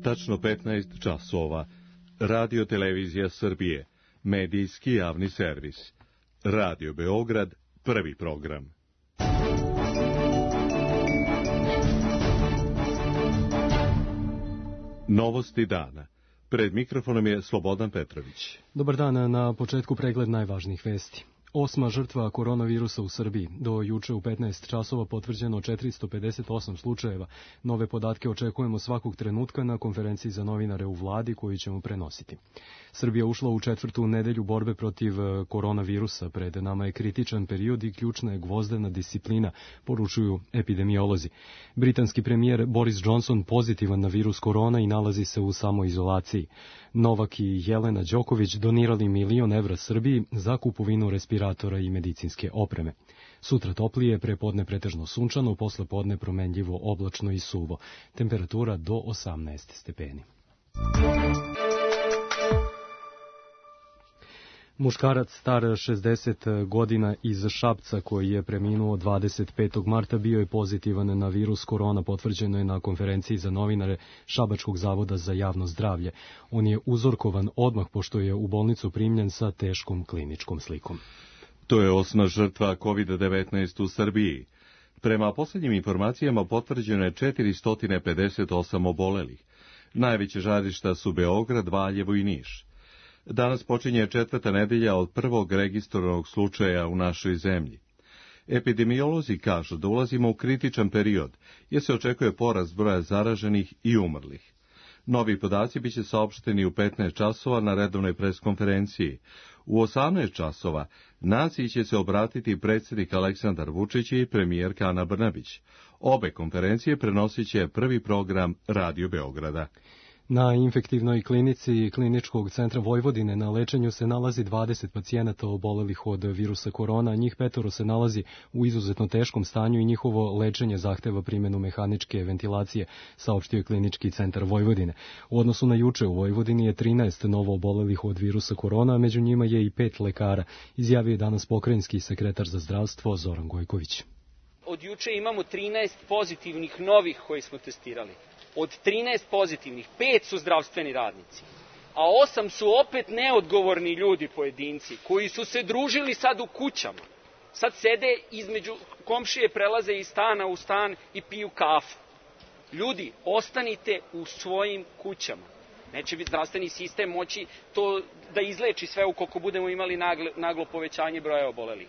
tačno 15 časova. Radio Televizija Srbije, medijski javni servis. Radio Beograd, prvi program. Novosti dana. Pred mikrofonom je Slobodan Petrović. Dobar dan, na početku pregled najvažnijih vesti. 8. žrtva koronavirusa u Srbiji. Do juče u 15 časova potvrđeno 458 slučajeva. Nove podatke očekujemo svakog trenutka na konferenciji za novinare u vladi koju ćemo prenositi. Srbija ušla u 4. nedelju borbe protiv koronavirusa. Pred nama je kritičan period i ključna je gvozdena disciplina, poručuju epidemiolozi. Britanski premijer Boris Johnson pozitivan na virus korona i nalazi se u samoizolaciji. Novak i Jelena Đoković donirali 1 milion evra Srbiji za kupovinu respiratora i medicinske opreme. Sutra toplije, prepodne pretežno sunčano, posle podne promenljivo, oblačno i suvo. Temperatura do 18 stepeni. Muškarac star 60 godina iz Šapca koji je preminuo 25. marta bio je pozitivan na virus korona, potvrđeno je na konferenciji za novinare Šabačkog zavoda za javno zdravlje. On je uzorkovan odmah pošto je u bolnicu primljen sa teškom kliničkom slikom. To je 8. žrtva COVID-19 u Srbiji. Prema posljednjim informacijama potvrđeno je 458 obolelih. Najveće žarišta su Beograd, Valjevo i Niš. Danas počinje 4. nedelja od prvog registrovanog slučaja u našoj zemlji. Epidemiolozi kažu da ulazimo u kritičan period, jer se očekuje porast broja zaraženih i umrlih. Novi podaci biće saopšteni u 15 časova na redovnoj preskonferenciji. U 18 časova naciji će se obratiti predsjednik Aleksandar Vučić i premijerka Ana Brnabić. Obe konferencije prenosit će prvi program Radio Beograda. Na infektivnoj klinici Kliničkog centra Vojvodine na lečenju se nalazi 20 pacijenata obolelih od virusa korona, njih 5 se nalazi u izuzetno teškom stanju i njihovo lečenje zahteva primjenu mehaničke ventilacije, saopštio je Klinički centar Vojvodine. U odnosu na juče u Vojvodini je 13 novo obolelih od virusa korona, a među njima je i 5 lekara, izjavio je danas pokrajinski sekretar za zdravstvo Zoran Gojković. Od juče imamo 13 pozitivnih novih koji smo testirali. Od 13 pozitivnih, 5 su zdravstveni radnici, a 8 su opet neodgovorni ljudi pojedinci, koji su se družili sad u kućama. Sad sede između komšije, prelaze iz stana u stan i piju kafu. Ljudi, ostanite u svojim kućama. Neće biti zdravstveni sistem moći to da izleči sve ukoliko budemo imali naglo povećanje broja obolelih.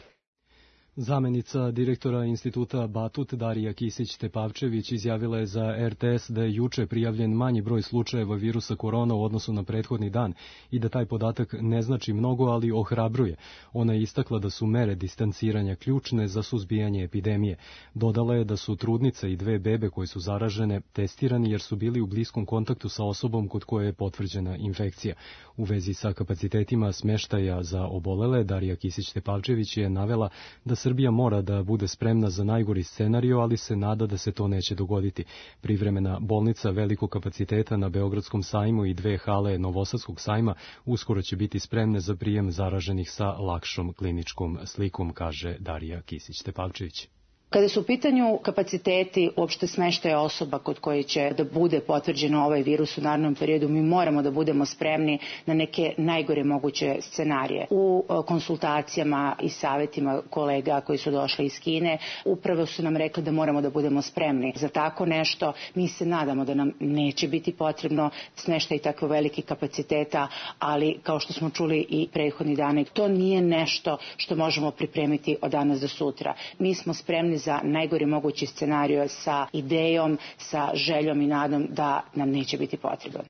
Zamenica direktora instituta Batut Darija Kisić-Tepavčević izjavila je za RTS da je juče prijavljen manji broj slučajeva virusa korona u odnosu na prethodni dan i da taj podatak ne znači mnogo, ali ohrabruje. Ona je istakla da su mere distanciranja ključne za suzbijanje epidemije. Dodala je da su trudnica i 2 bebe koje su zaražene testirani jer su bili u bliskom kontaktu sa osobom kod koje je potvrđena infekcija. U vezi sa kapacitetima smeštaja za obolele, Darija Kisić-Tepavčević je navela da Srbija mora da bude spremna za najgori scenario, ali se nada da se to neće dogoditi. Privremena bolnica velikog kapaciteta na Beogradskom sajmu i 2 hale Novosadskog sajma uskoro će biti spremne za prijem zaraženih sa lakšom kliničkom slikom, kaže Darija Kisić-Tepavčević. Kada su u pitanju kapaciteti uopšte smeštaja osoba kod koje će da bude potvrđeno ovaj virus u narednom periodu, mi moramo da budemo spremni na neke najgore moguće scenarije. U konsultacijama i savjetima kolega koji su došli iz Kine, upravo su nam rekli da moramo da budemo spremni za tako nešto. Mi se nadamo da nam neće biti potrebno smeštaj tako velikih kapaciteta, ali kao što smo čuli i prethodni dane, to nije nešto što možemo pripremiti od danas do sutra. Mi smo spremni za najgori mogući scenario sa idejom, sa željom i nadom da nam neće biti potrebno.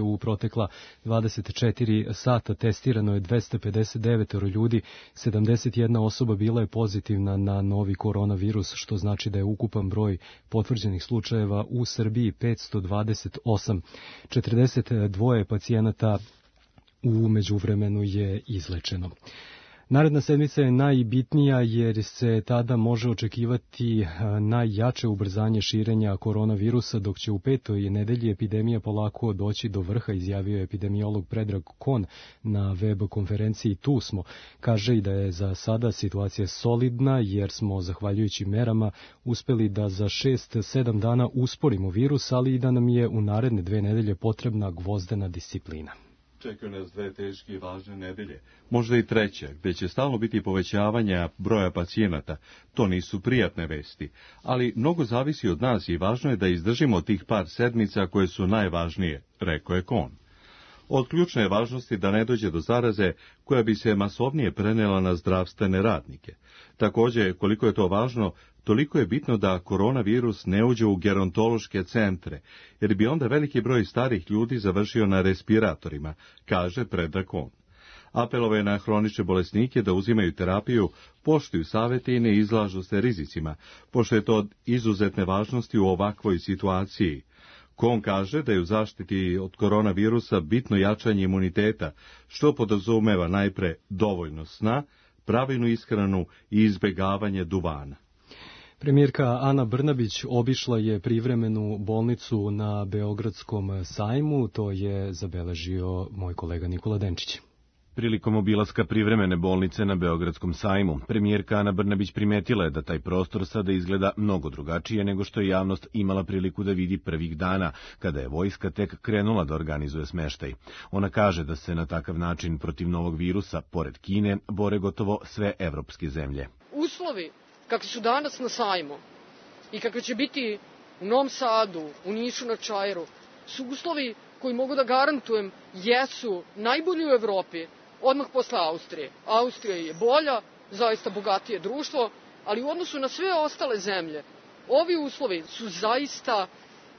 U protekla 24 sata testirano je 259 ljudi, 71 osoba bila je pozitivna na novi koronavirus, što znači da je ukupan broj potvrđenih slučajeva u Srbiji 528. 42 pacijenata u međuvremenu je izlečeno. Naredna sedmica je najbitnija jer se tada može očekivati najjače ubrzanje širenja koronavirusa, dok će u 5. nedelji epidemija polako doći do vrha, izjavio je epidemiolog Predrag Kon na web konferenciji Tu smo. Kaže i da je za sada situacija solidna jer smo, zahvaljujući merama, uspeli da za 6-7 dana usporimo virus, ali i da nam je u naredne 2 nedelje potrebna gvozdena disciplina. Čekaju nas 2 teške i važne nedelje, možda i 3, gde će stalno biti povećavanja broja pacijenata. To nisu prijatne vesti, ali mnogo zavisi od nas i važno je da izdržimo tih par sedmica koje su najvažnije, rekao je Kon. Od ključne je važnosti da ne dođe do zaraze koja bi se masovnije prenela na zdravstvene radnike. Također, koliko je to važno, toliko je bitno da koronavirus ne uđe u gerontološke centre, jer bi onda veliki broj starih ljudi završio na respiratorima, kaže Predrag Kon. Apelove je na hronične bolesnike da uzimaju terapiju, poštuju savete i ne izlažu se rizicima, pošto je to od izuzetne važnosti u ovakvoj situaciji. Kon kaže da je u zaštiti od koronavirusa bitno jačanje imuniteta, što podrazumeva najpre dovoljno sna, pravilnu ishranu i izbjegavanje duvana. Premijerka Ana Brnabić obišla je privremenu bolnicu na Beogradskom sajmu, to je zabeležio moj kolega Nikola Denčić. Prilikom obilaska privremene bolnice na Beogradskom sajmu, premijerka Ana Brnabić primetila je da taj prostor sada izgleda mnogo drugačije nego što je javnost imala priliku da vidi prvih dana, kada je vojska tek krenula da organizuje smeštaj. Ona kaže da se na takav način protiv novog virusa, pored Kine, bore gotovo sve evropske zemlje. Uslovi kakvi su danas na sajmu i kakvi će biti u Novom Sadu, u Nišu na Čairu, su uslovi koji mogu da garantujem jesu najbolji u Evropi, odmah posle Austrije. Austrija je bolja, zaista bogatije društvo, ali u odnosu na sve ostale zemlje, ovi uslovi su zaista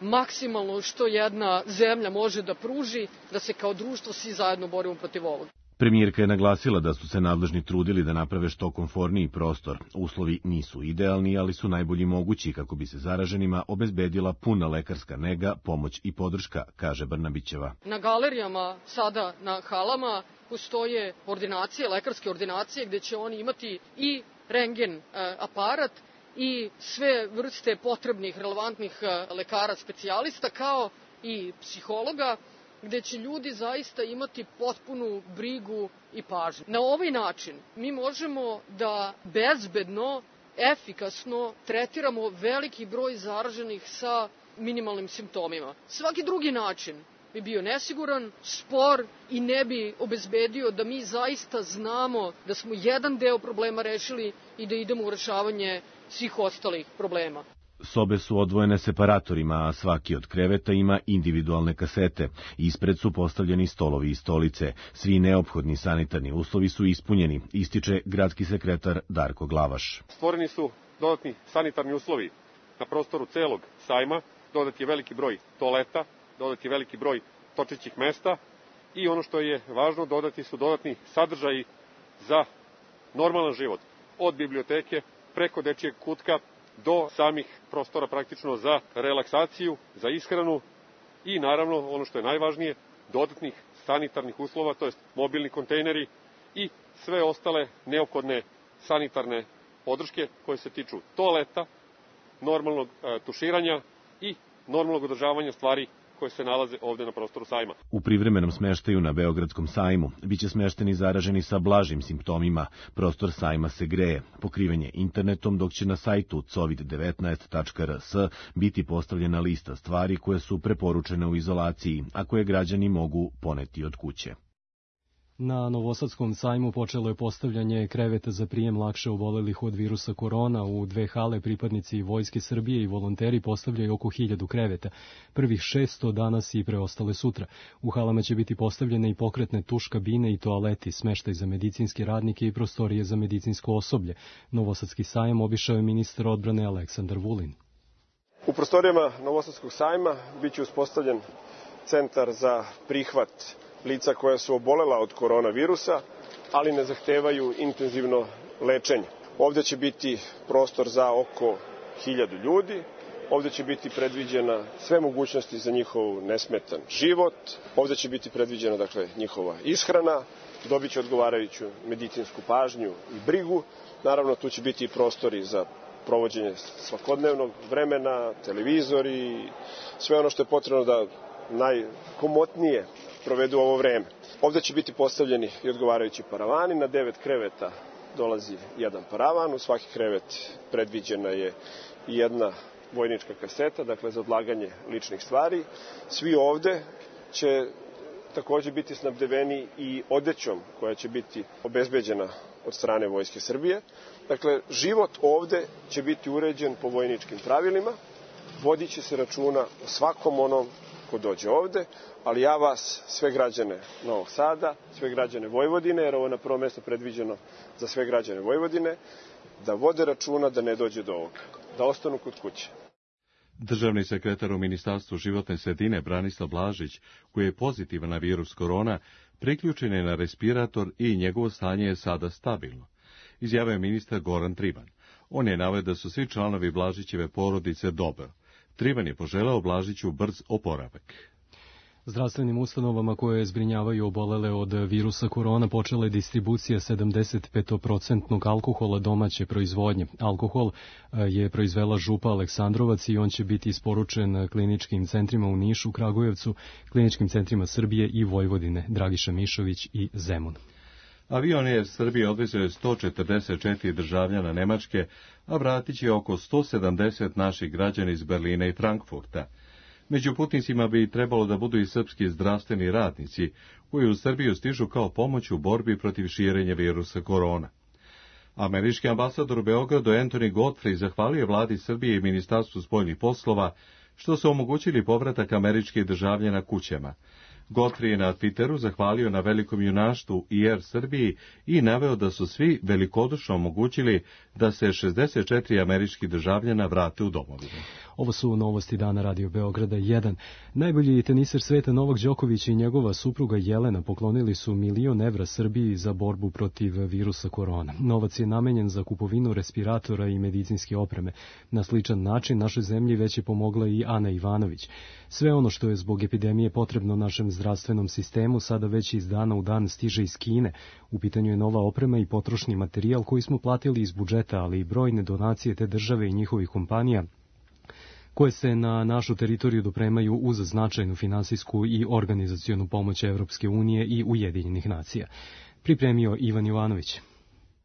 maksimalno što jedna zemlja može da pruži, da se kao društvo svi zajedno borimo protiv ovoga. Premijerka je naglasila da su se nadležni trudili da naprave što komforniji prostor. Uslovi nisu idealni, ali su najbolji mogući kako bi se zaraženima obezbedila puna lekarska nega, pomoć i podrška, kaže Brnabićeva. Na galerijama, sada na halama, postoje ordinacije, lekarske ordinacije, gde će oni imati i rentgen aparat i sve vrste potrebnih, relevantnih lekara specijalista, kao i psihologa, gde će ljudi zaista imati potpunu brigu i pažnju. Na ovaj način mi možemo da bezbedno, efikasno tretiramo veliki broj zaraženih sa minimalnim simptomima. Svaki drugi način bi bio nesiguran, spor i ne bi obezbedio da mi zaista znamo da smo jedan deo problema rešili i da idemo u rešavanje svih ostalih problema. Sobe su odvojene separatorima, a svaki od kreveta ima individualne kasete. Ispred su postavljeni stolovi i stolice. Svi neophodni sanitarni uslovi su ispunjeni, ističe gradski sekretar Darko Glavaš. Stvoreni su dodatni sanitarni uslovi na prostoru celog sajma, dodat je veliki broj toaleta, dodat je veliki broj točećih mesta i ono što je važno, dodati su dodatni sadržaji za normalan život. Od biblioteke preko dečijeg kutka do samih prostora praktično za relaksaciju, za ishranu i naravno ono što je najvažnije, dodatnih sanitarnih uslova, to jest mobilni kontejneri i sve ostale neophodne sanitarne podrške koje se tiču toaleta, normalnog tuširanja i normalnog održavanja stvari koje se nalaze ovde na prostoru sajma. U privremenom smeštaju na Beogradskom sajmu biće smešteni zaraženi sa blažim simptomima. Prostor sajma se greje, pokriven je internetom, dok će na sajtu covid19.rs biti postavljena lista stvari koje su preporučene u izolaciji, a koje građani mogu poneti od kuće. Na Novosadskom sajmu počelo je postavljanje kreveta za prijem lakše obolelih od virusa korona. U 2 hale pripadnici Vojske Srbije i volonteri postavljaju oko 1000 kreveta. Prvih 600 danas i preostale sutra. U halama će biti postavljene i pokretne tuš kabine i toaleti, smeštaj za medicinske radnike i prostorije za medicinsko osoblje. Novosadski sajam obišao je ministar odbrane Aleksandar Vulin. U prostorijama Novosadskog sajma biće uspostavljen centar za prihvat lica koja su obolela od koronavirusa, ali ne zahtevaju intenzivno lečenje. Ovde će biti prostor za oko 1000 ljudi, ovde će biti predviđena sve mogućnosti za njihov nesmetan život, ovde će biti predviđena njihova ishrana dobit će odgovarajuću medicinsku pažnju i brigu. Naravno, tu će biti i prostori za provođenje svakodnevnog vremena, televizori, sve ono što je potrebno da najkomotnije provedu ovo vreme. Ovde će biti postavljeni i odgovarajući paravani. Na 9 kreveta dolazi jedan paravan. U svaki krevet predviđena je i jedna vojnička kaseta, dakle za odlaganje ličnih stvari. Svi ovde će takođe biti snabdeveni i odećom koja će biti obezbeđena od strane Vojske Srbije. Dakle, život ovde će biti uređen po vojničkim pravilima, vodit će se računa o svakom onom ko dođe ovde, ali ja vas, sve građane Novog Sada, sve građane Vojvodine, jer ovo je na prvo mesto predviđeno za sve građane Vojvodine, da vode računa da ne dođe do ovoga, da ostanu kod kuće. Državni sekretar u Ministarstvu životne sredine Branislav Blažić, koji je pozitivan na virus korona, priključen je na respirator i njegovo stanje je sada stabilno, izjavio je ministar Goran Trivan. On je naveo da su svi članovi Blažićeve porodice dobro. Trivan je poželeo Blažiću brz oporavak. Zdravstvenim ustanovama koje zbrinjavaju obolele od virusa korona počela je distribucija 75% alkohola domaće proizvodnje. Alkohol je proizvela Župa Aleksandrovac i on će biti isporučen kliničkim centrima u Nišu, Kragujevcu, kliničkim centrima Srbije i Vojvodine, Dragiša Mišović i Zemun. Avion Air Srbije odvezao je 144 državljana Nemačke, a vratit će oko 170 naših građana iz Berlina i Frankfurta. Među putnicima bi trebalo da budu i srpski zdravstveni radnici, koji u Srbiju stižu kao pomoć u borbi protiv širenja virusa korona. Američki ambasador u Beogradu Anthony Godfrey zahvalio vladi Srbije i Ministarstvu spoljnih poslova što su omogućili povratak američkih državljana kućama. Godfrey je na Twitteru zahvalio na velikom junaštvu i Air Srbiji i naveo da su svi velikodušno omogućili da se 64 američkih državljana vrate u domovinu. Ovo su novosti dana Radio Beograda 1. Najbolji teniser sveta Novak Đoković i njegova supruga Jelena poklonili su €1.000.000 Srbiji za borbu protiv virusa korona. Novac je namenjen za kupovinu respiratora i medicinske opreme. Na sličan način našoj zemlji već je pomogla i Ana Ivanović. Sve ono što je zbog epidemije potrebno našem zdravstvenom sistemu sada već iz dana u dan stiže iz Kine. U pitanju je nova oprema i potrošni materijal koji smo platili iz budžeta, ali i brojne donacije te države i njihovih kompanija koje se na našu teritoriju dopremaju uz značajnu finansijsku i organizacionu pomoć Evropske unije i Ujedinjenih nacija. Pripremio Ivan Jovanović.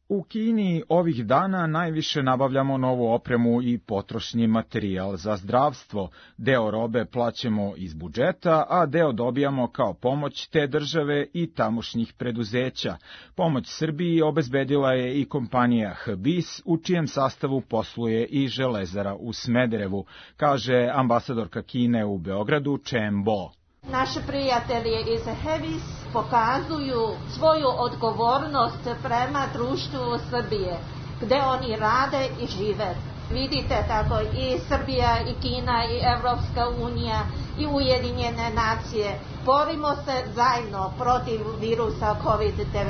U Kini ovih dana najviše nabavljamo novu opremu i potrošni materijal za zdravstvo. Deo robe plaćamo iz budžeta, a deo dobijamo kao pomoć te države i tamošnjih preduzeća. Pomoć Srbiji obezbedila je i kompanija HBIS, u čijem sastavu posluje i Železara u Smederevu, kaže ambasadorka Kine u Beogradu Chen Bo. Naši prijatelji iz HBIS pokazuju svoju odgovornost prema društvu Srbije, gde oni rade i žive. Vidite tako i Srbija, i Kina, i Evropska unija, i Ujedinjene nacije. Borimo se zajedno protiv virusa COVID-19.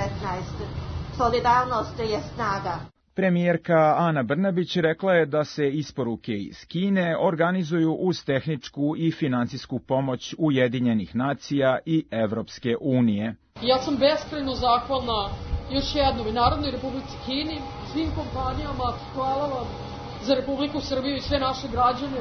Solidarnost je snaga. Premijerka Ana Brnabić rekla je da se isporuke iz Kine organizuju uz tehničku i finansijsku pomoć Ujedinjenih nacija i Evropske unije. Ja sam beskrajno zahvalna još jednom i Narodnoj Republici Kini, svim kompanijama, hvala vam za Republiku Srbiju i sve naše građane,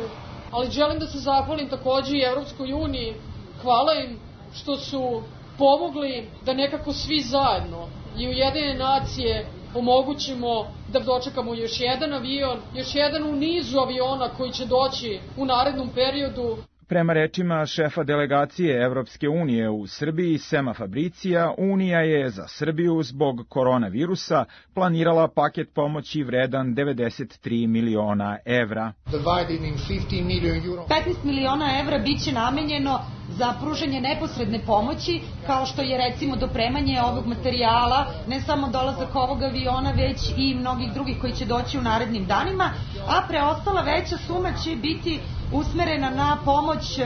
ali želim da se zahvalim takođe i Evropskoj uniji, hvala im što su pomogli da nekako svi zajedno i Ujedinjene nacije omogućimo da dočekamo još jedan avion, još jedan u nizu aviona koji će doći u narednom periodu. Prema rečima šefa delegacije Evropske unije u Srbiji, Sema Fabricija, Unija je za Srbiju zbog koronavirusa planirala paket pomoći vredan 93 miliona evra. 15 miliona evra biće namenjeno za pružanje neposredne pomoći, kao što je recimo dopremanje ovog materijala, ne samo dolazak ovog aviona, već i mnogih drugih koji će doći u narednim danima, a preostala veća suma će biti usmerena na pomoć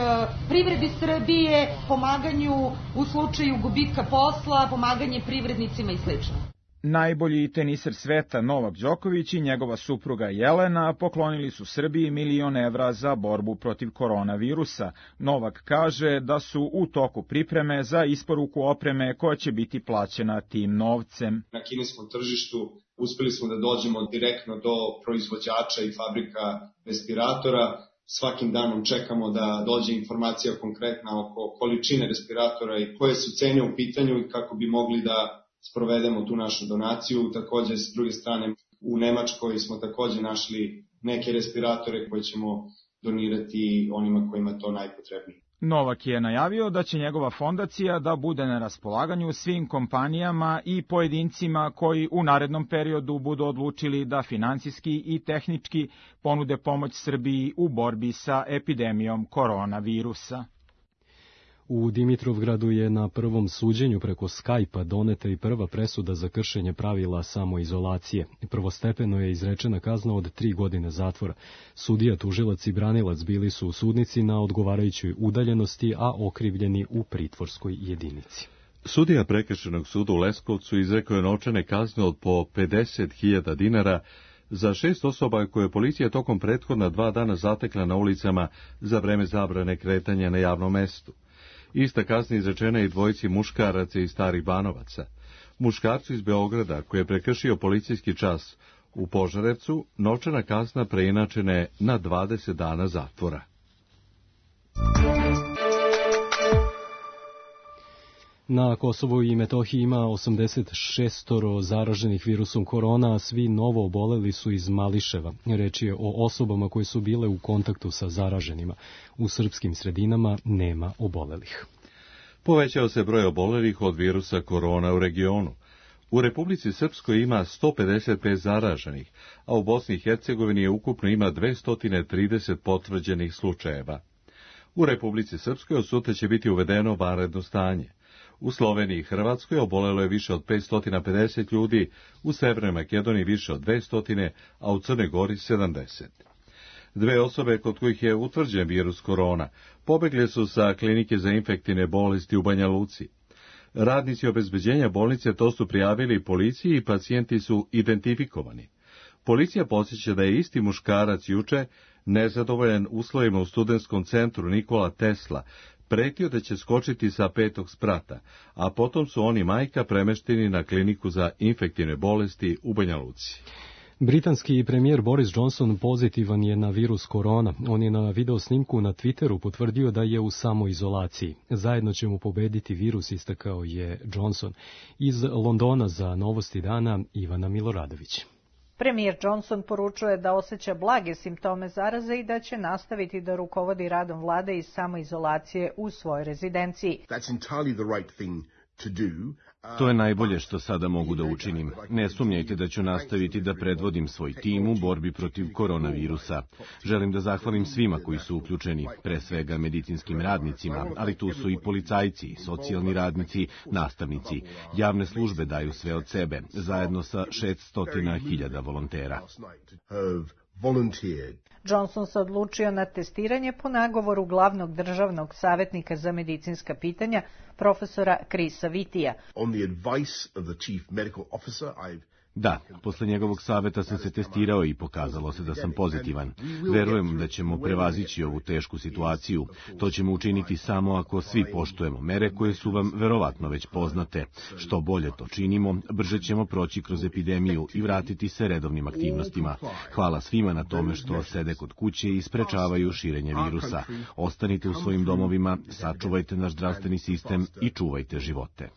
privredi Srbije, pomaganju u slučaju gubitka posla, pomaganje privrednicima i sl. Najbolji teniser sveta Novak Đoković i njegova supruga Jelena poklonili su Srbiji 1.000.000 evra za borbu protiv koronavirusa. Novak kaže da su u toku pripreme za isporuku opreme koja će biti plaćena tim novcem. Na kineskom tržištu uspeli smo da dođemo direktno do proizvođača i fabrika respiratora. Svakim danom čekamo da dođe informacija konkretna oko količine respiratora i koje su cene u pitanju i kako bi mogli da sprovedemo tu našu donaciju. Takođe, s druge strane, u Nemačkoj smo takođe našli neke respiratore koje ćemo donirati onima kojima to najpotrebnije. Novak je najavio da će njegova fondacija da bude na raspolaganju svim kompanijama i pojedincima koji u narednom periodu budu odlučili da finansijski i tehnički ponude pomoć Srbiji u borbi sa epidemijom koronavirusa. U Dimitrovgradu je na prvom suđenju preko Skype-a doneta i prva presuda za kršenje pravila samoizolacije. Prvostepeno je izrečena kazna od 3 godine zatvora. Sudija, tužilac i branilac bili su u sudnici na odgovarajućoj udaljenosti, a okrivljeni u pritvorskoj jedinici. Sudija Prekršajnog suda u Leskovcu izrekao je novčane kazne od po 50.000 dinara za 6 osoba koje je policija tokom prethodna 2 dana zatekla na ulicama za vreme zabrane kretanja na javnom mestu. Ista kazna izrečena i dvojici muškaraca iz Starih Banovaca. Muškarcu iz Beograda, koji je prekršio policijski čas u Požarevcu, novčana kazna preinačena je na 20 dana zatvora. Na Kosovu i Metohiji ima 86 zaraženih virusom korona, a svi novo oboleli su iz Mališeva. Reč je o osobama koje su bile u kontaktu sa zaraženima. U srpskim sredinama nema obolelih. Povećao se broj obolelih od virusa korona u regionu. U Republici Srpskoj ima 155 zaraženih, a u Bosni i Hercegovini ukupno ima 230 potvrđenih slučajeva. U Republici Srpskoj od sutra će biti uvedeno vanredno stanje. U Sloveniji i Hrvatskoj obolelo je više od 550 ljudi, u Severnoj Makedoniji više od 200, a u Crnoj Gori 70. 2 osobe kod kojih je utvrđen virus korona pobegle su sa klinike za infektivne bolesti u Banja Luci. Radnici obezbeđenja bolnice to su prijavili policiji i pacijenti su identifikovani. Policija podsjeća da je isti muškarac juče, nezadovoljan uslovima u studentskom centru Nikola Tesla, pretio da će skočiti sa 5. sprata, a potom su on i majka premešteni na kliniku za infektivne bolesti u Banja Luci. Britanski premijer Boris Johnson pozitivan je na virus korona. On je na videosnimku na Twitteru potvrdio da je u samoizolaciji. Zajedno ćemo pobediti virus, istakao je Johnson. Iz Londona za Novosti dana Ivana Miloradović. Premijer Johnson poručuje da osjeća blage simptome zaraze i da će nastaviti da rukovodi radom vlade iz samoizolacije u svojoj rezidenciji. To je najbolje što sada mogu da učinim. Ne sumnjajte da ću nastaviti da predvodim svoj tim u borbi protiv koronavirusa. Želim da zahvalim svima koji su uključeni, pre svega medicinskim radnicima, ali tu su i policajci, socijalni radnici, nastavnici. Javne službe daju sve od sebe, zajedno sa 600.000 volontera. Johnson se odlučio na testiranje po nagovoru glavnog državnog savjetnika za medicinska pitanja, profesora Chrisa Vitija. Da, posle njegovog saveta sam se testirao i pokazalo se da sam pozitivan. Verujem da ćemo prevazići ovu tešku situaciju. To ćemo učiniti samo ako svi poštujemo mere koje su vam verovatno već poznate. Što bolje to činimo, brže ćemo proći kroz epidemiju i vratiti se redovnim aktivnostima. Hvala svima na tome što sede kod kuće i sprečavaju širenje virusa. Ostanite u svojim domovima, sačuvajte naš zdravstveni sistem i čuvajte živote.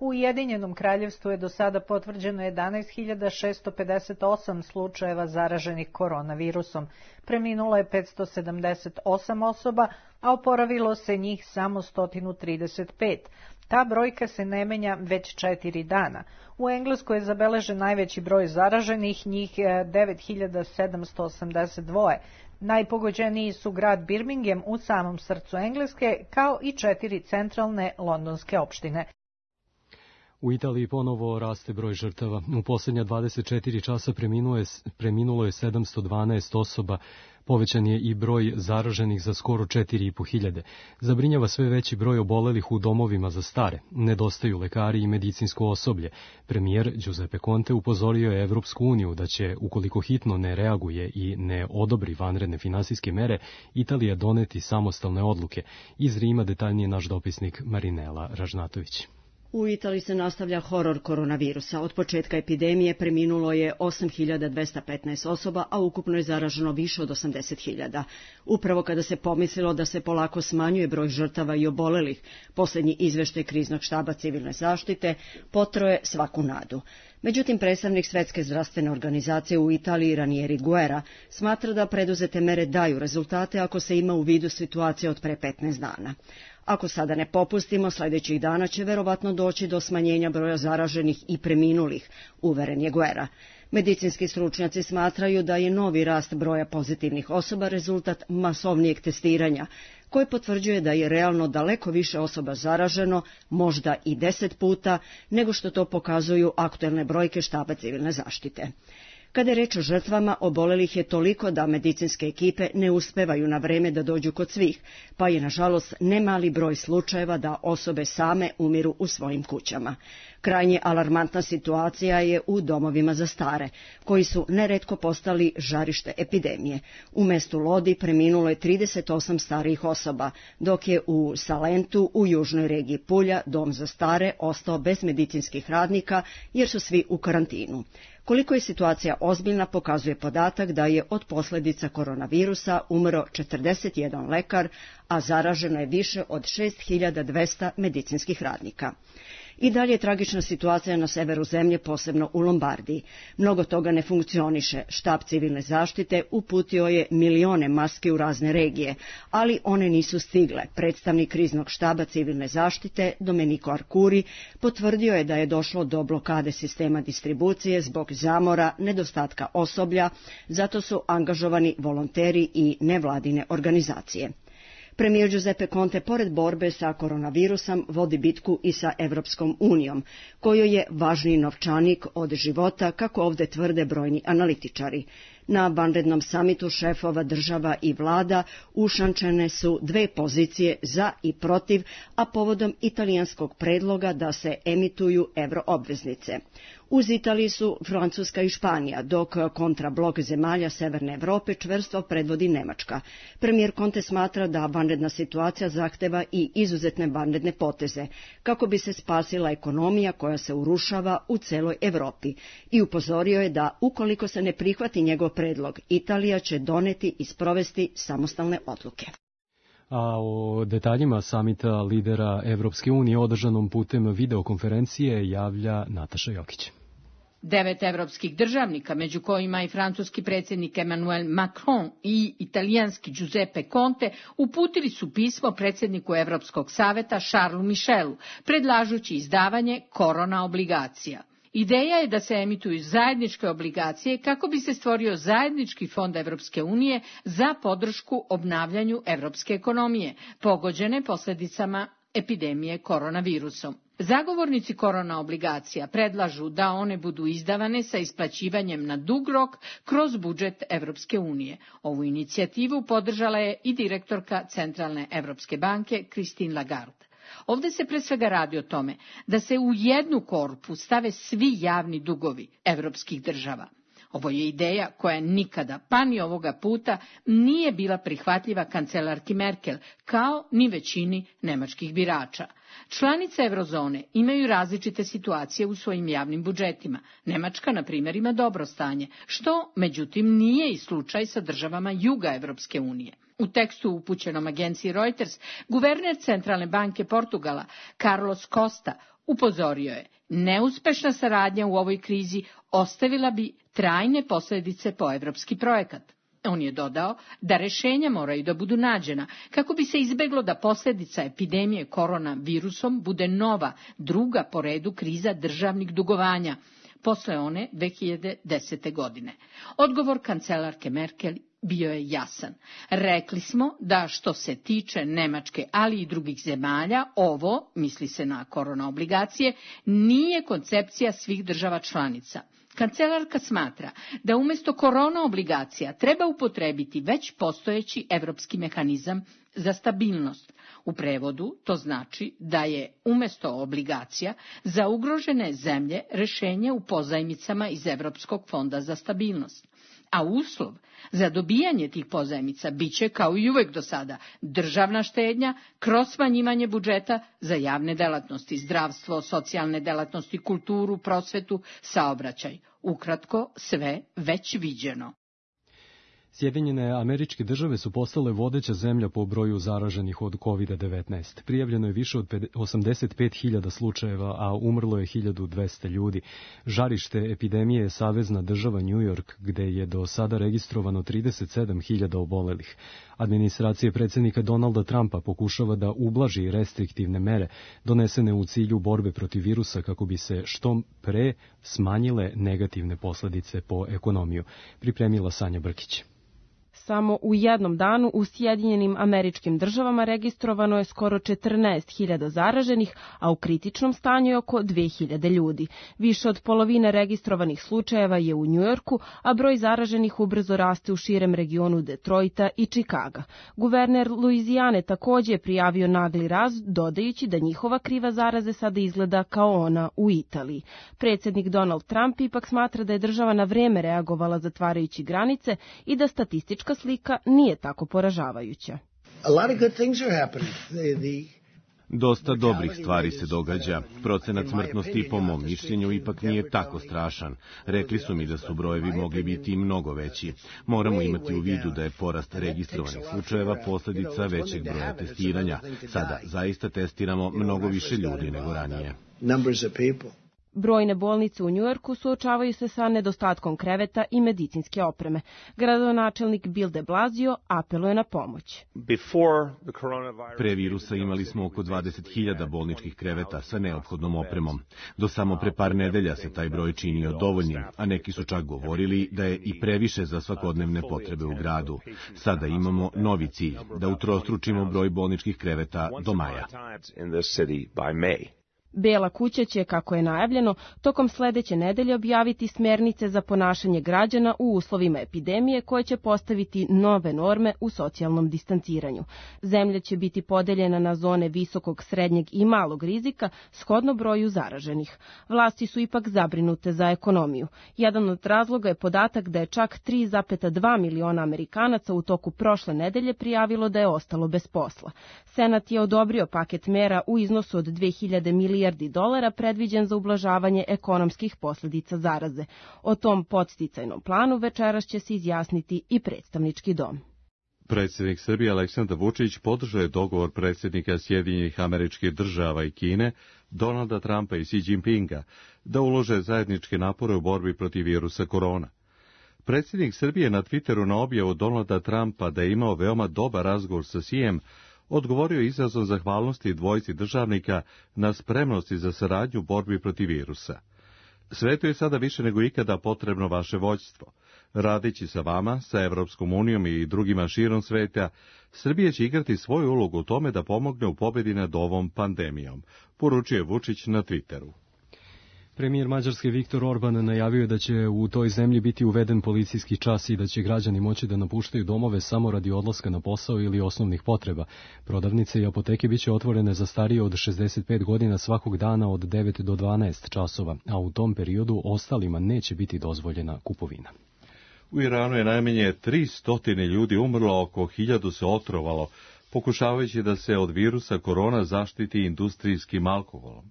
U Ujedinjenom kraljevstvu je do sada potvrđeno 11.658 slučajeva zaraženih koronavirusom. Preminulo je 578 osoba, a oporavilo se njih samo 135. Ta brojka se ne menja već 4 dana. U Engleskoj je zabeležen najveći broj zaraženih, njih 9.782. Najpogođeniji su grad Birmingham u samom srcu Engleske, kao i 4 centralne londonske opštine. U Italiji ponovo raste broj žrtava. U posljednja 24 časa preminulo je 712 osoba. Povećan je i broj zaraženih za skoro 4.500. Zabrinjava sve veći broj obolelih u domovima za stare. Nedostaju lekari i medicinsko osoblje. Premijer Giuseppe Conte upozorio je Evropsku uniju da će, ukoliko hitno ne reaguje i ne odobri vanredne finansijske mere, Italija doneti samostalne odluke. Iz Rima detaljnije naš dopisnik Marinela Ražnatović. U Italiji se nastavlja horor koronavirusa. Od početka epidemije preminulo je 8.215 osoba, a ukupno je zaraženo više od 80.000. Upravo kada se pomislilo da se polako smanjuje broj žrtava i obolelih, posljednji izveštaj kriznog štaba civilne zaštite potroje svaku nadu. Međutim, predstavnik Svetske zdravstvene organizacije u Italiji Ranieri Guerra smatra da preduzete mere daju rezultate ako se ima u vidu situacija od pre 15 dana. Ako sada ne popustimo, sljedećih dana će verovatno doći do smanjenja broja zaraženih i preminulih, uveren je Guerra. Medicinski stručnjaci smatraju da je novi rast broja pozitivnih osoba rezultat masovnijeg testiranja, koji potvrđuje da je realno daleko više osoba zaraženo, možda i 10 puta, nego što to pokazuju aktuelne brojke štaba civilne zaštite. Kada je reč o žrtvama, obolelih je toliko da medicinske ekipe ne uspevaju na vreme da dođu kod svih, pa je nažalost nemali broj slučajeva da osobe same umiru u svojim kućama. Krajnje alarmantna situacija je u domovima za stare, koji su neretko postali žarište epidemije. U mestu Lodi preminulo je 38 starijih osoba, dok je u Salentu, u južnoj regiji Pulja, dom za stare ostao bez medicinskih radnika jer su svi u karantinu. Koliko je situacija ozbiljna pokazuje podatak da je od posljedica koronavirusa umro 41 lekar, a zaraženo je više od 6.200 medicinskih radnika. I dalje je tragična situacija na severu zemlje, posebno u Lombardiji. Mnogo toga ne funkcioniše. Štab civilne zaštite uputio je milione maski u razne regije, ali one nisu stigle. Predstavnik kriznog štaba civilne zaštite, Domenico Arcuri, potvrdio je da je došlo do blokade sistema distribucije zbog zamora, nedostatka osoblja, zato su angažovani volonteri i nevladine organizacije. Premijer Giuseppe Conte, pored borbe sa koronavirusom, vodi bitku i sa Evropskom unijom, kojoj je važniji novčanik od života, kako ovdje tvrde brojni analitičari. Na vanrednom samitu šefova država i vlada ušančene su dve pozicije za i protiv, a povodom italijanskog predloga da se emituju euroobveznice. Uz Italiju su Francuska i Španija, dok kontrablok zemalja Severne Evrope čvrsto predvodi Nemačka. Premijer Conte smatra da vanredna situacija zahteva i izuzetne vanredne poteze, kako bi se spasila ekonomija koja se urušava u celoj Evropi, i upozorio je da, ukoliko se ne prihvati njegov predlog, Italija će doneti i sprovesti samostalne odluke. A o detaljima samita lidera Evropske unije održanom putem videokonferencije javlja Nataša Jokić. 9 evropskih državnika, među kojima i francuski predsjednik Emmanuel Macron i italijanski Giuseppe Conte, uputili su pismo predsjedniku Evropskog saveta Charlesu Michelu, predlažući izdavanje korona obligacija. Ideja je da se emituju zajedničke obligacije kako bi se stvorio zajednički fond Evropske unije za podršku obnavljanju evropske ekonomije, pogođene posljedicama epidemije koronavirusom. Zagovornici korona obligacija predlažu da one budu izdavane sa isplaćivanjem na dug rok kroz budžet Evropske unije. Ovu inicijativu podržala je i direktorka Centralne Evropske banke Christine Lagarde. Ovdje se pre svega radi o tome da se u jednu korpu stave svi javni dugovi evropskih država. Ovo je ideja koja nikada, pa ni ovoga puta, nije bila prihvatljiva kancelarki Merkel, kao ni većini nemačkih birača. Članice eurozone imaju različite situacije u svojim javnim budžetima. Nemačka, na primjer, ima dobro stanje, što, međutim, nije i slučaj sa državama juga Evropske unije. U tekstu upućenom agenciji Reuters, guverner Centralne banke Portugala, Carlos Costa, upozorio je: neuspešna saradnja u ovoj krizi ostavila bi trajne posljedice po evropski projekat. On je dodao da rješenja moraju da budu nađena kako bi se izbeglo da posljedica epidemije koronavirusom bude nova, druga po redu kriza državnih dugovanja, posle one 2010. godine. Odgovor kancelarke Merkel bio je jasan. Rekli smo da što se tiče Nemačke, ali i drugih zemalja, ovo, misli se na korona obligacije, nije koncepcija svih država članica. Kancelarka smatra da umjesto korona obligacija treba upotrebiti već postojeći evropski mehanizam za stabilnost. U prevodu to znači da je umjesto obligacija za ugrožene zemlje rješenje u pozajmicama iz Evropskog fonda za stabilnost. A uslov za dobijanje tih pozajmica biće, kao i uvek do sada, državna štednja kroz smanjivanje budžeta za javne delatnosti, zdravstvo, socijalne delatnosti, kulturu, prosvetu, saobraćaj. Ukratko, sve već viđeno. Sjedinjene Američke Države su postale vodeća zemlja po broju zaraženih od COVID-19. Prijavljeno je više od 85.000 slučajeva, a umrlo je 1.200 ljudi. Žarište epidemije je savezna država New York, gde je do sada registrovano 37.000 obolelih. Administracija predsjednika Donalda Trumpa pokušava da ublaži restriktivne mere donesene u cilju borbe protiv virusa kako bi se što pre smanjile negativne posledice po ekonomiju. Pripremila Sanja Brkić. Samo u jednom danu u Sjedinjenim Američkim Državama registrovano je skoro 14.000 zaraženih, a u kritičnom stanju je oko 2.000 ljudi. Više od polovine registrovanih slučajeva je u Njujorku, a broj zaraženih ubrzo raste u širem regionu Detroita i Čikaga. Guverner Luizijane također je prijavio nagli rast, dodajući da njihova kriva zaraze sada izgleda kao ona u Italiji. Predsjednik Donald Trump ipak smatra da je država na vrijeme reagovala zatvarajući granice i da statistička slika nije tako poražavajuća. Dosta dobrih stvari se događa. Procenat smrtnosti, po mom mišljenju, ipak nije tako strašan. Rekli su mi da su brojevi mogli biti i mnogo veći. Moramo imati u vidu da je porast registrovanih slučajeva posljedica većeg broja testiranja. Sada zaista testiramo mnogo više ljudi nego ranije. Brojne bolnice u Njujorku suočavaju se sa nedostatkom kreveta i medicinske opreme. Gradonačelnik Bill de Blasio apeluje na pomoć. Pre virusa imali smo oko 20.000 bolničkih kreveta sa neophodnom opremom. Do samo pre par nedelja se taj broj činio dovoljnim, a neki su čak govorili da je i previše za svakodnevne potrebe u gradu. Sada imamo novi cilj, da utrostručimo broj bolničkih kreveta do maja. Bela kuća će, kako je najavljeno, tokom sledeće nedelje objaviti smjernice za ponašanje građana u uslovima epidemije koje će postaviti nove norme u socijalnom distanciranju. Zemlja će biti podeljena na zone visokog, srednjeg i malog rizika shodno broju zaraženih. Vlasti su ipak zabrinute za ekonomiju. Jedan od razloga je podatak da je čak 3,2 miliona Amerikanaca u toku prošle nedelje prijavilo da je ostalo bez posla. Senat je odobrio paket mera u iznosu od 2.000 milijardi dolara predviđen za ublažavanje ekonomskih posljedica zaraze. O tom podsticajnom planu večeras će se izjasniti i predstavnički dom. Predsjednik Srbije Aleksandar Vučić podržao je dogovor predsjednika Sjedinjenih Američkih Država i Kine, Donalda Trumpa i Xi Jinpinga, da ulože zajedničke napore u borbi protiv virusa korona. Predsjednik Srbije na Twitteru na objavu Donalda Trumpa da je imao veoma dobar razgovor sa Xijem odgovorio izrazom zahvalnosti dvojici državnika na spremnosti za saradnju u borbi protiv virusa. Svetu je sada više nego ikada potrebno vaše vođstvo. Radeći sa vama, sa Evropskom unijom i drugima širom sveta, Srbija će igrati svoju ulogu u tome da pomogne u pobjedi nad ovom pandemijom, poručuje Vučić na Twitteru. Premijer Mađarske Viktor Orban najavio je da će u toj zemlji biti uveden policijski čas i da će građani moći da napuštaju domove samo radi odlaska na posao ili osnovnih potreba. Prodavnice i apoteke biće otvorene za starije od 65 godina svakog dana od 9 do 12 časova, a u tom periodu ostalima neće biti dozvoljena kupovina. U Iranu je najmanje 300 ljudi umrlo, oko 1000 se otrovalo, pokušavajući da se od virusa korona zaštiti industrijskim alkoholom.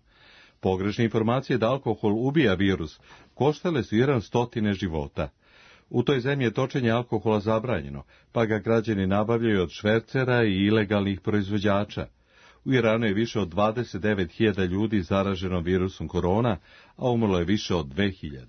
Pogrešne informacije da alkohol ubija virus koštale su Iran 100 života. U toj zemlji je točenje alkohola zabranjeno, pa ga građani nabavljaju od švercera i ilegalnih proizvođača. U Iranu je više od 29.000 ljudi zaraženo virusom korona, a umrlo je više od 2.000.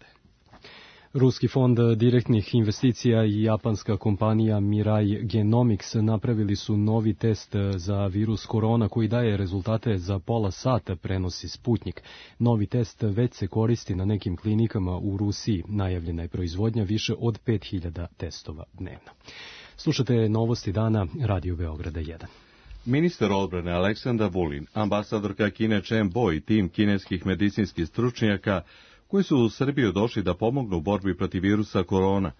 Ruski fond direktnih investicija i japanska kompanija Mirai Genomics napravili su novi test za virus korona koji daje rezultate za pola sata, prenosi Sputnik. Novi test već se koristi na nekim klinikama u Rusiji. Najavljena je proizvodnja više od 5000 testova dnevno. Slušate novosti dana, Radio Beograda 1. Ministar odbrane Aleksandar Vulin, ambasadorka Kine Chen Bo i tim kineskih medicinskih stručnjaka koji su u Srbiju došli da pomognu u borbi protiv virusa korona,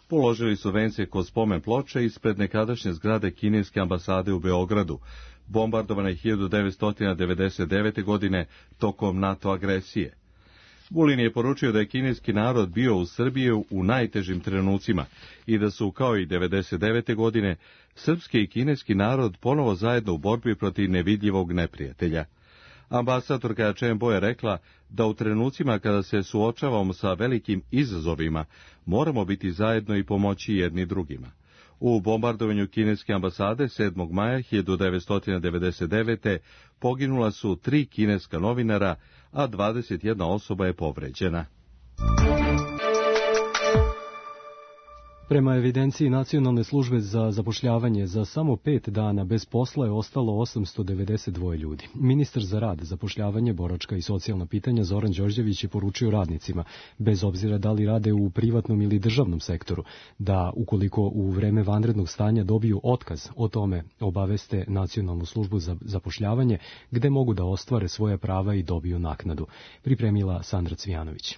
položili su vence kod spomen ploče ispred nekadašnje zgrade kineske ambasade u Beogradu, bombardovane 1999. godine tokom NATO agresije. Vulin je poručio da je kineski narod bio u Srbiji u najtežim trenucima i da su, kao i 1999. godine, srpski i kineski narod ponovo zajedno u borbi protiv nevidljivog neprijatelja. Ambasadorka Chen Bo je rekla da u trenucima kada se suočavamo sa velikim izazovima, moramo biti zajedno i pomoći jedni drugima. U bombardovanju kineske ambasade 7. maja 1999. poginula su 3 kineska novinara, a 21 osoba je povređena. Prema evidenciji Nacionalne službe za zapošljavanje, za samo 5 dana bez posla je ostalo 892 ljudi. Ministar za rad, zapošljavanje, boračka i socijalna pitanja Zoran Đorđević je poručio radnicima, bez obzira da li rade u privatnom ili državnom sektoru, da ukoliko u vreme vanrednog stanja dobiju otkaz, o tome obaveste Nacionalnu službu za zapošljavanje, gde mogu da ostvare svoja prava i dobiju naknadu. Pripremila Sandra Cvijanović.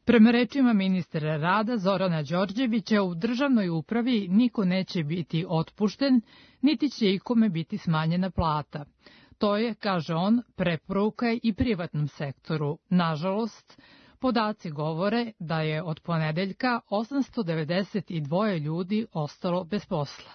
Prema rečima ministra rada Zorana Đorđevića, u državnoj upravi niko neće biti otpušten, niti će ikome biti smanjena plata. To je, kaže on, preporuka i privatnom sektoru. Nažalost, podaci govore da je od ponedeljka 892 ljudi ostalo bez posla.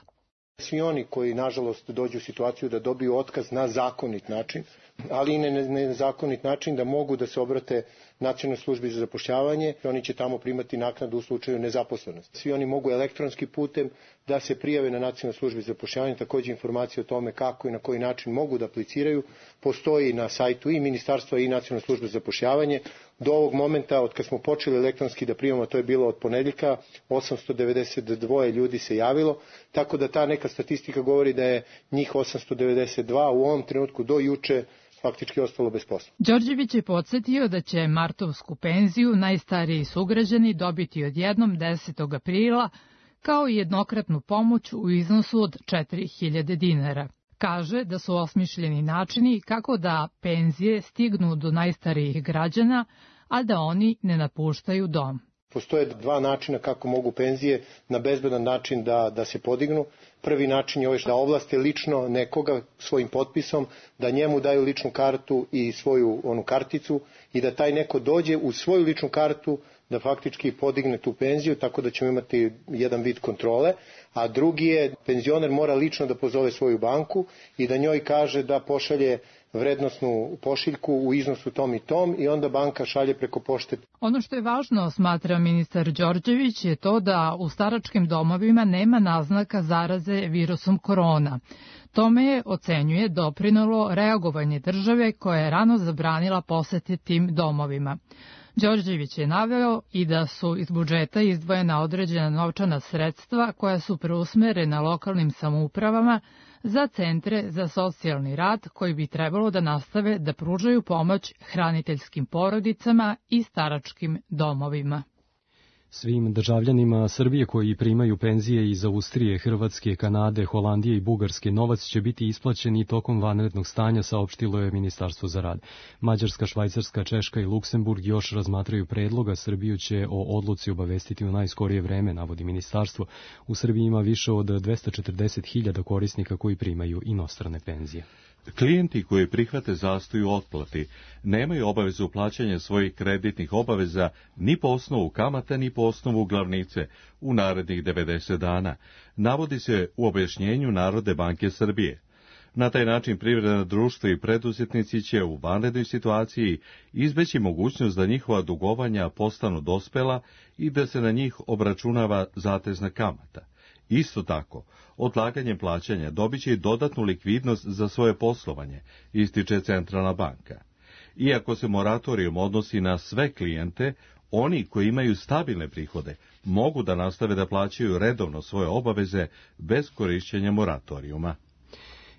Svi oni koji, nažalost, dođu u situaciju da dobiju otkaz na zakonit način, ali i na nezakonit način da mogu da se obrate Nacionalnoj službi za zapošljavanje, oni će tamo primati naknadu u slučaju nezaposlenosti. Svi oni mogu elektronskim putem da se prijave na Nacionalnoj službi za zapošljavanje, takođe informacije o tome kako i na koji način mogu da apliciraju, postoji na sajtu i Ministarstva i Nacionalne službe za zapošljavanje. Do ovog momenta, od kad smo počeli elektronski da primamo, to je bilo od ponedeljka, 892 ljudi se javilo, tako da ta neka statistika govori da je njih 892 u ovom trenutku do juče faktički ostalo bez posla. Đorđević je podsjetio da će martovsku penziju najstariji sugrađani dobiti odjednom 10. aprila, kao i jednokratnu pomoć u iznosu od 4000 dinara. Kaže da su osmišljeni načini kako da penzije stignu do najstarijih građana, a da oni ne napuštaju dom. Postoje 2 načina kako mogu penzije na bezbedan način da se podignu. Prvi način je da ovlaste lično nekoga svojim potpisom, da njemu daju ličnu kartu i svoju karticu i da taj neko dođe u svoju ličnu kartu da faktički podigne tu penziju, tako da ćemo imati jedan vid kontrole. A drugi je, penzioner mora lično da pozove svoju banku i da njoj kaže da pošalje vrednosnu pošiljku u iznosu tom i tom i onda banka šalje preko pošte. Ono što je važno, smatra ministar Đorđević, je to da u staračkim domovima nema naznaka zaraze virusom korona. Tome je, ocenjuje, doprinalo reagovanje države koja je rano zabranila posete tim domovima. Đorđević je naveo i da su iz budžeta izdvojena određena novčana sredstva koja su preusmerena lokalnim samoupravama za centre za socijalni rad koji bi trebalo da nastave da pružaju pomoć hraniteljskim porodicama i staračkim domovima. Svim državljanima Srbije koji primaju penzije iz Austrije, Hrvatske, Kanade, Holandije i Bugarske novac će biti isplaćen i tokom vanrednog stanja, saopštilo je Ministarstvo za rad. Mađarska, Švajcarska, Češka i Luksemburg još razmatraju predloga. Srbiju će o odluci obavestiti u najskorije vreme, navodi ministarstvo. U Srbiji ima više od 240.000 korisnika koji primaju inostrane penzije. Klijenti koji prihvate zastoj u otplati nemaju obavezu plaćanja svojih kreditnih obaveza ni po osnovu kamata ni po osnovu glavnice u narednih 90 dana, navodi se u objašnjenju Narodne banke Srbije. Na taj način privredna društva i preduzetnici će u vanrednoj situaciji izbeći mogućnost da njihova dugovanja postanu dospela i da se na njih obračunava zatezna kamata. Isto tako, odlaganjem plaćanja dobit će i dodatnu likvidnost za svoje poslovanje, ističe Centralna banka. Iako se moratorijum odnosi na sve klijente, Oni koji imaju stabilne prihode mogu da nastave da plaćaju redovno svoje obaveze bez korišćenja moratorijuma.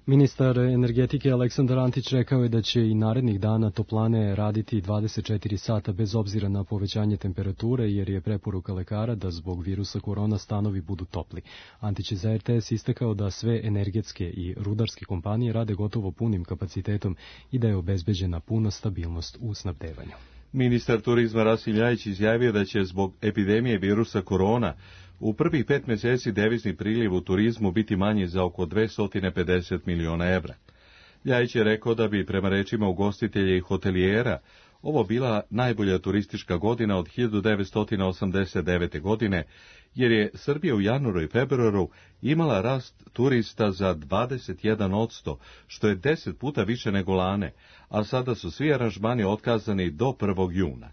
Ministar energetike Aleksandar Antić rekao je da će i narednih dana toplane raditi 24 sata bez obzira na povećanje temperature, jer je preporuka lekara da zbog virusa korona stanovi budu topli. Antić je za RTS istakao da sve energetske i rudarske kompanije rade gotovo punim kapacitetom i da je obezbeđena puna stabilnost u snabdevanju. Ministar turizma Rasim Ljajić izjavio da će zbog epidemije virusa korona u prvih 5 mjeseci devizni priliv u turizmu biti manji za oko 250 miliona evra. Ljajić je rekao da bi, prema rečima ugostitelja i hotelijera, ovo bila najbolja turistička godina od 1989. godine, jer je Srbija u januaru i februaru imala rast turista za 21%, što je 10 puta više nego lane, a sada su svi aranžmani otkazani do 1. juna.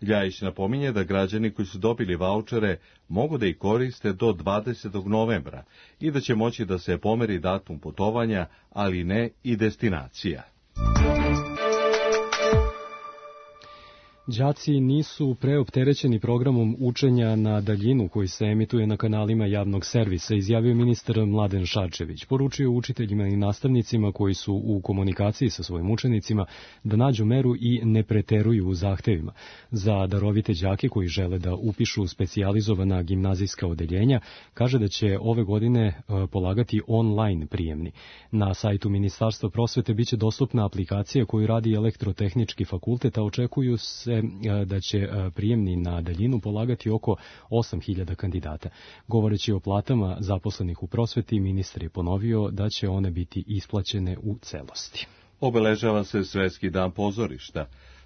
Ljajić napominje da građani koji su dobili vaučere mogu da ih koriste do 20. novembra i da će moći da se pomeri datum putovanja, ali ne i destinacija. Đaci nisu preopterećeni programom učenja na daljinu koji se emituje na kanalima javnog servisa, izjavio ministar Mladen Šarčević. Poručio učiteljima i nastavnicima koji su u komunikaciji sa svojim učenicima da nađu meru i ne preteruju u zahtevima. Za darovite đake koji žele da upišu specijalizovana gimnazijska odeljenja, kaže da će ove godine polagati online prijemni. Na sajtu Ministarstva prosvete biće dostupna aplikacija koju radi Elektrotehnički fakultet, a očekuju se da će prijemni na daljinu polagati oko 8.000 kandidata. Govoreći o platama zaposlenih u prosveti, ministar je ponovio da će one biti isplaćene u celosti. Obeležava se Svetski dan pozorišta.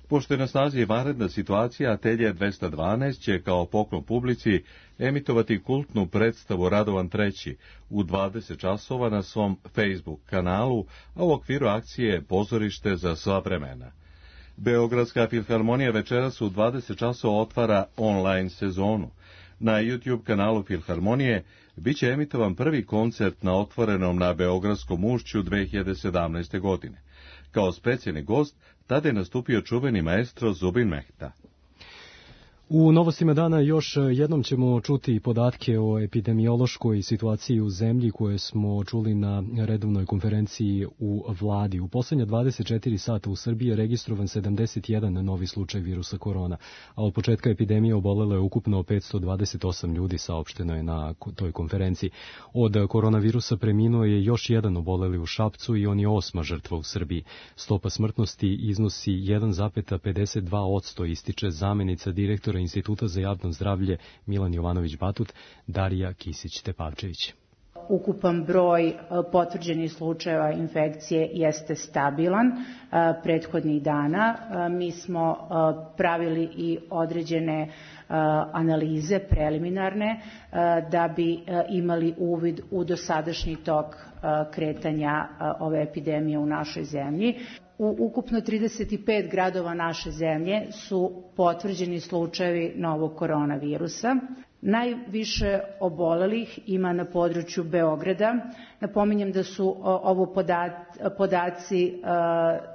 Pošto je na snazi vanredna situacija, Atelje 212 će kao poklon publici emitovati kultnu predstavu Radovan III u 20 časova na svom Facebook kanalu, a u okviru akcije Pozorište za sva vremena. Beogradska filharmonija večeras u 20 časova otvara online sezonu. Na YouTube kanalu Filharmonije biće emitovan prvi koncert na otvorenom na Beogradskom ušću 2017. godine. Kao specijalni gost tada je nastupio čuveni maestro Zubin Mehta. U novostima dana još jednom ćemo čuti podatke o epidemiološkoj situaciji u zemlji koje smo čuli na redovnoj konferenciji u vladi. U poslednja 24 sata u Srbiji je registrovan 71 novi slučaj virusa korona, a od početka epidemije obolelo je ukupno 528 ljudi, saopšteno je na toj konferenciji. Od koronavirusa preminuo je još jedan oboleli u Šapcu i on je 8. žrtva u Srbiji. Stopa smrtnosti iznosi 1,52%, ističe zamenica direktora Instituta za javno zdravlje Milan Jovanović Batut, Darija Kisić-Tepavčević. Ukupan broj potvrđenih slučajeva infekcije jeste stabilan prethodnih dana. Mi smo pravili i određene analize preliminarne da bi imali uvid u dosadašnji tok kretanja ove epidemije u našoj zemlji. U ukupno 35 gradova naše zemlje su potvrđeni slučajevi novog koronavirusa. Najviše obolelih ima na području Beograda. Napominjem da su ovo podaci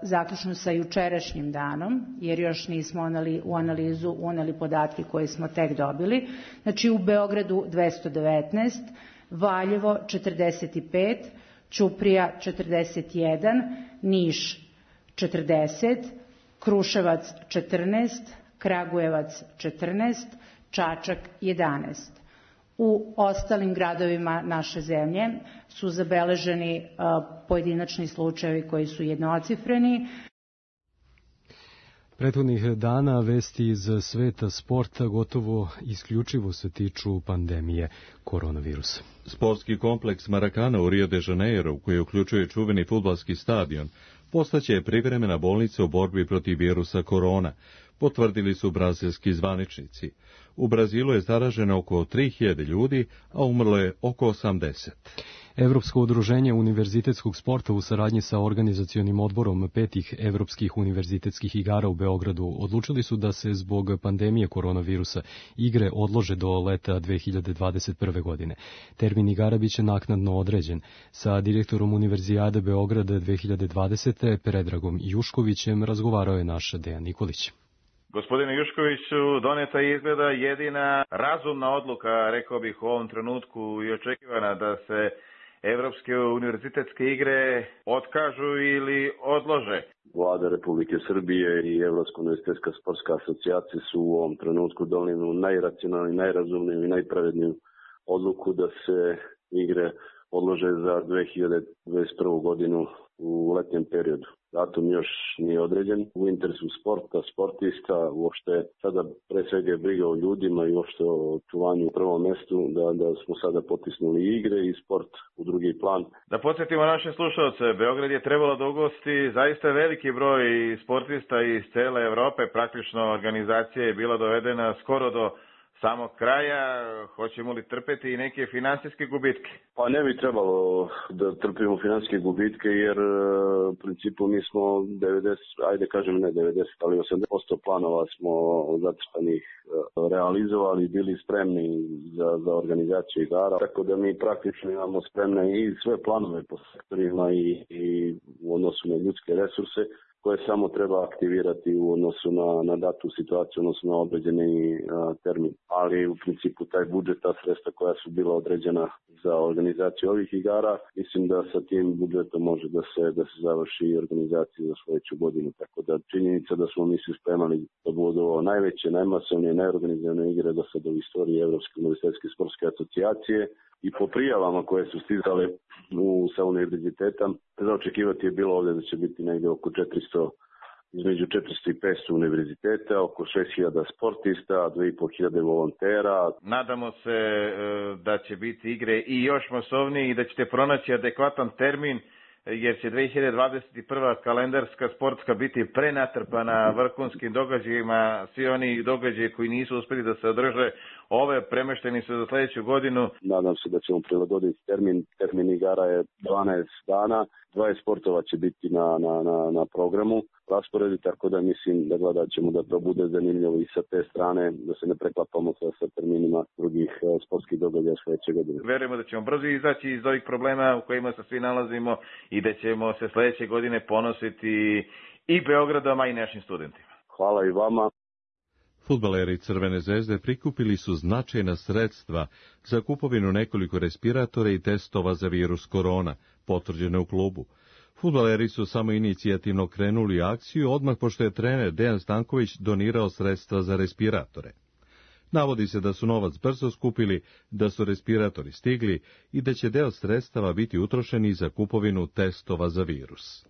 zaključno sa jučerašnjim danom, jer još nismo u analizu uneli podatke koje smo tek dobili. Znači u Beogradu 219, Valjevo 45, Ćuprija 41, Niš 40, Kruševac 14, Kragujevac 14, Čačak 11. U ostalim gradovima naše zemlje su zabeleženi pojedinačni slučajevi koji su jednocifreni. Prethodnih dana vesti iz sveta sporta gotovo isključivo se tiču pandemije koronavirusa. Sportski kompleks Maracana u Rio de Janeiro, koji uključuje čuveni fudbalski stadion, postaće privremena bolnica u borbi protiv virusa korona, potvrdili su brazilski zvaničnici. U Brazilu je zaraženo oko 3000 ljudi, a umrlo je oko 80. Evropsko udruženje univerzitetskog sporta u saradnji sa organizacionim odborom 5 evropskih univerzitetskih igara u Beogradu odlučili su da se zbog pandemije koronavirusa igre odlože do leta 2021. godine. Termin igara biće naknadno određen. Sa direktorom Univerzijade Beograda 2020. Predragom Juškovićem razgovarao je naš Dejan Nikolić. Gospodine Juškoviću, doneta je izgleda jedina razumna odluka, rekao bih u ovom trenutku i očekivana, da se Evropske univerzitetske igre otkažu ili odlože. Vlada Republike Srbije i Evropska univerzitetska sportska asocijacija su u ovom trenutku donijeli najracionalniju, najrazumniju i najpravedniju odluku da se igre odlože za 2021. godinu u letnjem periodu. Datum još nije određen. U interesu sporta, sportista, uopšte sada pre svega je briga o ljudima i uopšte o čuvanju u prvom mestu, da smo sada potisnuli igre i sport u drugi plan. Da podsjetimo naše slušalce, Beograd je trebalo da ugosti zaista veliki broj sportista iz cele Evrope. Praktično organizacija je bila dovedena skoro do samog kraja. Hoćemo li trpeti i neke finansijske gubitke? Pa ne bi trebalo da trpimo finansijske gubitke, jer u principu mi smo 90, ajde kažem ne 90, ali 80% planova smo zacrtanih realizovali i bili spremni za organizaciju igara. Tako da mi praktično imamo spremne i sve planove po sektorima i u odnosu na ljudske resurse, koje samo treba aktivirati u odnosu na datu situaciju, odnosno na određeni termin. Ali u principu taj budžet, ta sredstva koja su bila određena za organizaciju ovih igara, mislim da sa tim budžetom može da se završi organizacija za sledeću godinu. Tako da činjenica da smo mi se spremali da budu ovo najveće, najmasovnije, najorganizovane igre do sada u istoriji Evropske univerzitetske sportske asocijacije, i po prijavama koje su stizale sa univerziteta, za očekivati je bilo ovdje da će biti negdje oko 400, između 400 i 500 univerziteta, oko 6000 sportista, 2500 volontera. Nadamo se da će biti igre i još masovnije i da ćete pronaći adekvatan termin, jer će 2021. kalendarska sportska biti prenatrpana vrhunskim događajima. Svi oni događaji koji nisu uspeli da se održe, ove premešteni su za sledeću godinu. Nadam se da ćemo prilagoditi termin. Termin igara je 12 dana. 20 sportova će biti na programu rasporedi, tako da mislim da gledat ćemo da to bude zanimljivo i sa te strane, da se ne preklapamo sa terminima drugih sportskih događaja sledeće godine. Verujemo da ćemo brzo izaći iz ovih problema u kojima se svi nalazimo i da ćemo se sledeće godine ponositi i Beogradom, a i našim studentima. Hvala i vama. Fudbaleri Crvene zvezde prikupili su značajna sredstva za kupovinu nekoliko respiratora i testova za virus korona, potvrđene u klubu. Fudbaleri su samo inicijativno krenuli akciju odmah pošto je trener Dejan Stanković donirao sredstva za respiratore. Navodi se da su novac brzo skupili, da su respiratori stigli i da će deo sredstava biti utrošeni za kupovinu testova za virus.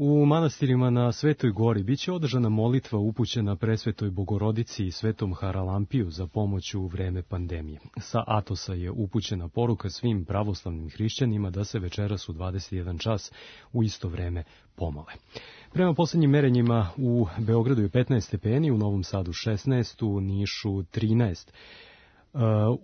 U manastirima na Svetoj gori biće održana molitva upućena Presvetoj Bogorodici i Svetom Haralampiju za pomoć u vreme pandemije. Sa Atosa je upućena poruka svim pravoslavnim hrišćanima da se večeras u 21 čas u isto vreme pomole. Prema poslednjim merenjima u Beogradu je 15 stepeni, u Novom Sadu 16, u Nišu 13.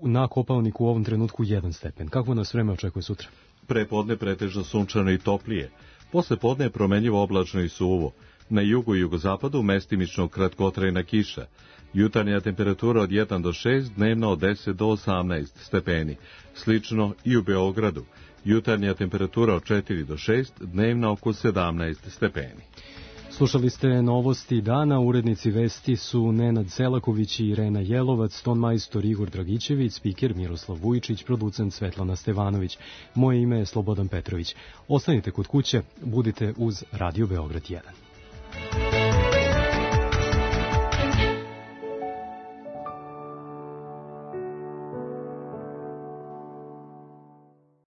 Na Kopaoniku u ovom trenutku 1 stepen. Kako nas vreme očekuje sutra? Prepodne pretežno sunčano i toplije. Posle podne je promenljivo oblačno i suvo. Na jugu i jugozapadu mestimično kratkotrajna kiša. Jutarnja temperatura od 1 do 6, dnevna od 10 do 18 stepeni. Slično i u Beogradu. Jutarnja temperatura od 4 do 6, dnevna oko 17 stepeni. Slušali ste novosti dana, urednici vesti su Nenad Selaković i Irena Jelovac, ton majstor Igor Dragićević, spiker Miroslav Vujičić, producent Svetlana Stevanović. Moje ime je Slobodan Petrović. Ostanite kod kuće, budite uz Radio Beograd 1.